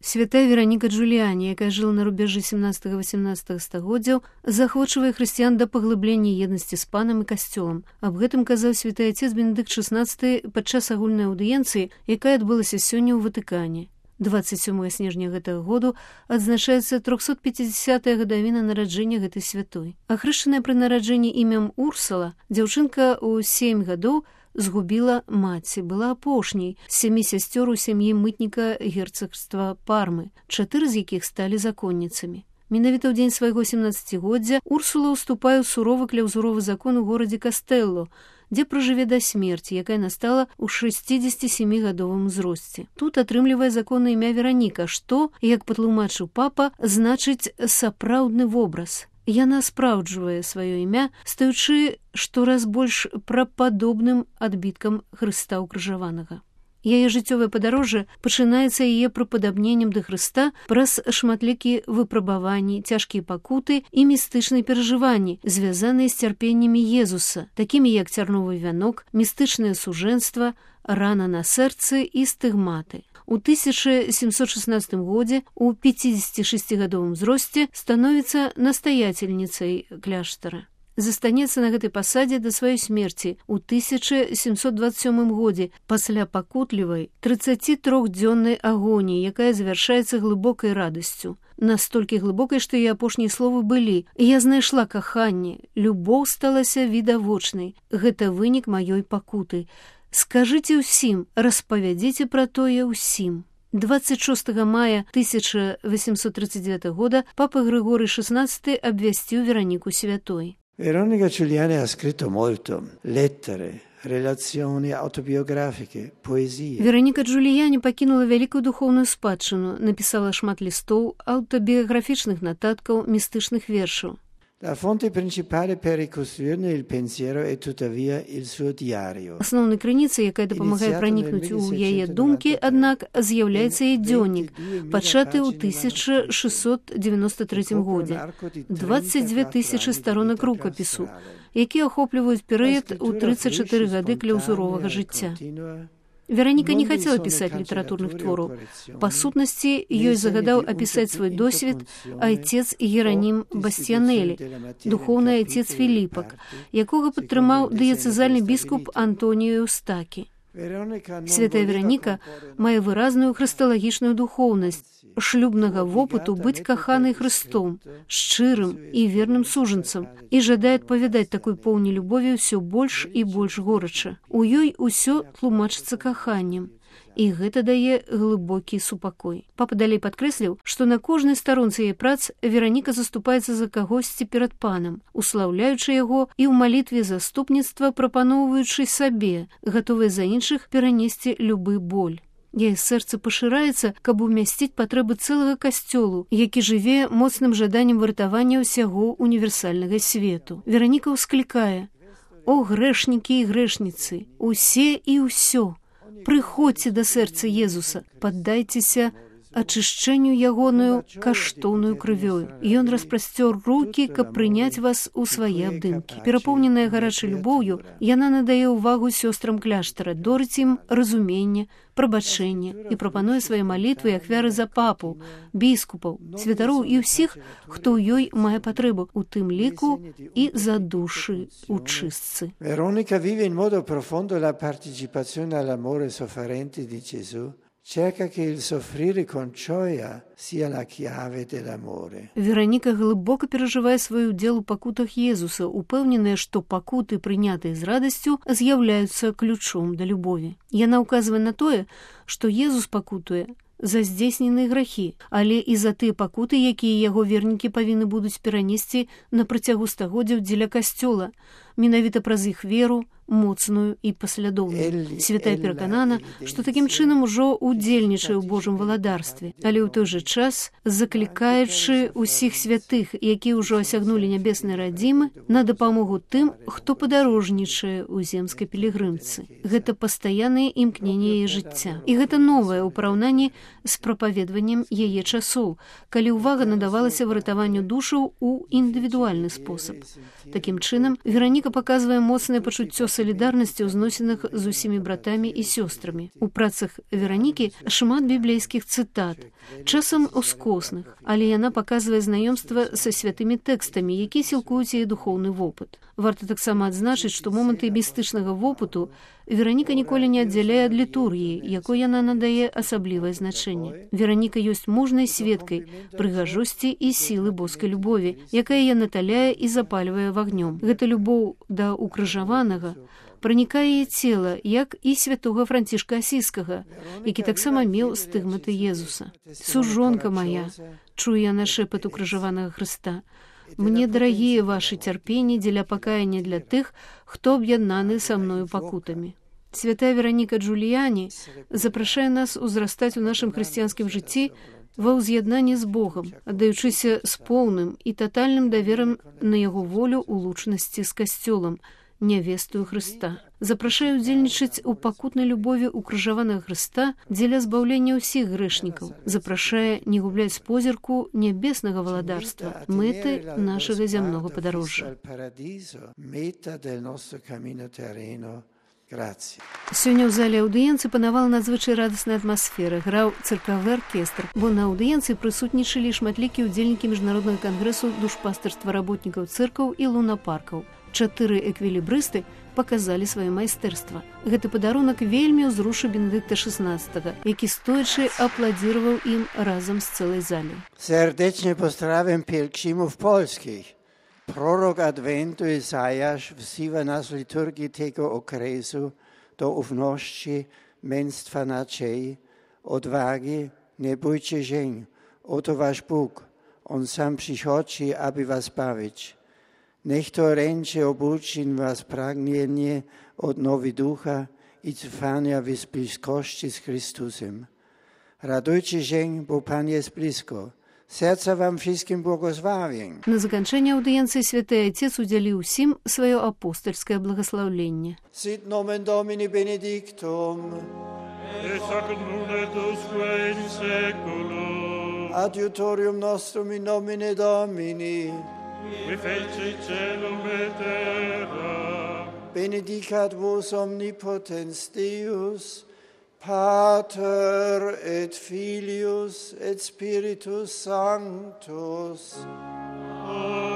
Святая Вераніка Джуліяні, якая жыла на рубежы 17-18 стагоддзяў, заахвочвае хрысціян да паглыблення еднасці з панам і касцёлам. Аб гэтым казаў святы отец Бенедыкт XVI падчас агульнай аўдыенцыі, якая адбылася сёння ў Ватыкане. 27 снежня гэтага году адзначаецца 350-я гадавіна нараджэння гэтай святой. Ахрышчаная пры нараджэнні імем Урсала, дзяўчынка ў 7 гадоў згубіла маці, была апошняй з 7 сясцёр у сям'і мытніка герцагства Пармы, 4 з якіх сталі законніцамі. Менавіта ў дзень свайго 17-годдзя Урсула ўступае ў суровы кляўзуровы закон у горадзе Кастэлло, дзе пражыве да смерці, якая настала ў 67-гадовым узросце. Тут атрымлівае законнае імя Вераніка, што, як патлумачыў папа, значыць сапраўдны вобраз. Яна спраўджвае сваё імя, стаючы штораз больш прападобным адбіткам Хрыста ўкрыжаванага. Яе жыццёвае падарожжа пачынаецца яе прыпадабненнем да Хрыста праз шматлікія выпрабаванні, цяжкія пакуты і містычныя перажыванні, звязаныя з цярпеннямі Езуса, такімі як цярновы вянок, містычнае сужэнства, рана на сэрцы і стыгматы. У 1716 годзе у 56-гадовым узросце становіцца настаяцельніцай кляштара. Застанецца на гэтай пасадзе да сваёй смерці ў 1727 годзе пасля пакутлівай 33-дзённай агоніі, якая завяршаецца глыбокай радасцю. Настолькі глыбокай, што яе апошнія словы былі: «Я знайшла каханне, любоў сталася відавочнай, гэта вынік маёй пакуты. Скажыце ўсім, распавядзіце пра тое ўсім». 26 мая 1839 года папа Григорий XVI абвясціў Вераніку святой. Veronica Giuliani ha scritto molto, lettere, relazioni autobiografiche, poesie. Вераніка Джуліяні пакінула вялікую духоўную спадчыну, напісала шмат лістоў, аўтабіяграфічных нататкаў, містычных вершаў. La fonte principale per ricostruirne il pensiero è tuttavia il suo diario. Асноўнай крыніцай, якая дапамагае пранікнуць у яе думкі, аднак з'яўляецца яе дзённік, пачаты ў 1693 годзе. 22 000 старонак рукапісу, які ахопліваюць перыяд у 34 гады кляўзуровага жыцця. Вераніка не хацела пісаць літаратурных твораў. Па сутнасці, ёй загадаў апісаць свой досвед айцец Геранім Бастіянелі, духоўны айцец Філіпак, якога падтрымаў дыяцэзальны біскуп Антоніо Эўстакі. Святая Вераніка мае выразную хрысталагічную духоўнасць, шлюбнага вопыту быць каханай Хрыстом, шчырым і верным сужанцам, і жадае адпавядаць такой поўні любові ўсё больш і больш горача. У ёй усё тлумачыцца каханнем, і гэта дае глыбокі супакой. Папа далей падкрэсліў, што на кожнай старонцы яе прац Вераніка заступаецца за кагосьці перад панам, услаўляючы яго і ў малітве заступніцтва прапаноўваючы сабе, гатовыя за іншых перанесці любы боль. Яе сэрца пашыраецца, каб умясціць патрэбы цэлага касцёлу, які жыве моцным жаданнем выратавання ўсяго універсальнага свету. Вераніка ўсклікае: «О, грэшнікі і грэшніцы, усе і ўсё! Прыходзьце да сэрца Езуса, паддайцеся ачышчэнню ягоную каштоўную крывёю. Ён распрасцёр рукі, каб прыняць вас у свае абдымкі». Перапоўненая гарачай любоўю, яна надае ўвагу сёстрам кляштара, дорыць ім разуменне, прабачэнне і прапануе свае малітвы і ахвяры за папу, біскупаў, святароў і ўсіх, хто ў ёй мае патрэбу, у тым ліку і за душы ў чыстцы. Veronica vive in modo profondo la partecipazione all'amore sofferente di Gesù. Cerca che il soffrire con gioia sia la chiave dell'amore. Вераніка глыбока перажывае свой удзел у пакутах Езуса, упэўненая, што пакуты, прынятыя з радасцю, з'яўляюцца ключом да любові. Яна ўказвае на тое, што Езус пакутуе за здзейсненыя грахі, але і за тыя пакуты, якія яго вернікі павінны будуць перанесці на працягу стагоддзяў дзеля касцёла, менавіта праз іх веру, моцную і паслядоўную. Святая пераканана, што такім чынам ужо удзельнічае ў Божым валадарстве, але ў той жа час заклікаючы ўсіх святых, якія ўжо асягнулі нябесныя радзімы, на дапамогу тым, хто падарожнічае ў земскай пілігрымцы. Гэта пастаяннае імкненне яе жыцця. І гэта новае ў параўнанні з прапаведваннем яе часоў, калі ўвага надавалася выратаванню душаў у індывідуальны спосаб. Такім чынам, Вераніка Вераніка паказвае моцнае пачуццё салідарнасці ў зносінах з усімі братамі і сёстрамі. У працах Веранікі шмат біблейскіх цытат, часам ускосных, але яна паказвае знаёмства са святымі тэкстамі, якія сілкуюць яе духоўны вопыт. Варта таксама адзначыць, што моманты містычнага вопыту Вераніка ніколі не аддзяляе ад літургіі, якой яна надае асаблівае значэнне. Вераніка ёсць мужнай сведкай прыгажосці і сілы боскай любові, якая яе наталяе і запальвае вагнём. Гэта любоў да укрыжаванага пранікае яе цела, як і святога Францішка Асійскага, які таксама меў стыгматы Езуса. «Сужонка моя», чуе яна шэпат укрыжаванага Хрыста, «мне дарагія вашы цярпенні дзеля пакаяння для тых, хто аб'яднаны са мною пакутамі». Святая Вераніка Джуліяні запрашае нас узрастаць у нашым хрысціянскім жыцці ва ўз'яднанні з Богам, аддаючыся з поўным і татальным даверам на яго волю ў лучнасці з касцёлам, нявестую Хрыста. Запрашае ўдзельнічаць у пакутнай любові укрыжаванага Хрыста дзеля збаўлення ўсіх грэшнікаў. Запрашае не губляць з позірку нябеснага валадарства, мэты нашага зямнога падарожжа. Сёння ў зале аўдыенцыі панавала надзвычай радасная атмасфера, граў цыркавы аркестр, бо на аўдыенцыі прысутнічалі шматлікія ўдзельнікі міжнароднага кангрэсу душпастарства работнікаў цыркаў і лунапаркаў. 4 эквілібрысты паказалі сваё майстэрства. Гэты падарунак вельмі ўзрушыў Бенедыкта XVI, які стоячы апладзіраваў ім разам з цэлай залей. Serdecznie pozdrawiam pielgrzymów polskich. Prorok Adwentu Izajasz wzywa nas w liturgii tego okresu do ufności, męstwa nadziei, odwagi, nie bójcie się, oto wasz Bóg, On sam przychodzi, aby was bawić. Niech to ręce obudzi was pragnienie odnowy ducha i trwania w bliskości z Chrystusem. Radujcie się, bo Pan jest blisko. Serca wam wszystkim błogosławień. На заканчэнне аўдыенцыі святы Отец удзяліў усім сваё апостальскае благаслаўленне. Sit nomen Domini benedictum. Et hoc nunc et usque in saeculum. Adiutorium nostrum in nomine Domini. Qui feci caelum et terra. Benedicat vos omnipotens Deus, Pater et Filius et Spiritus Sanctus. Amen.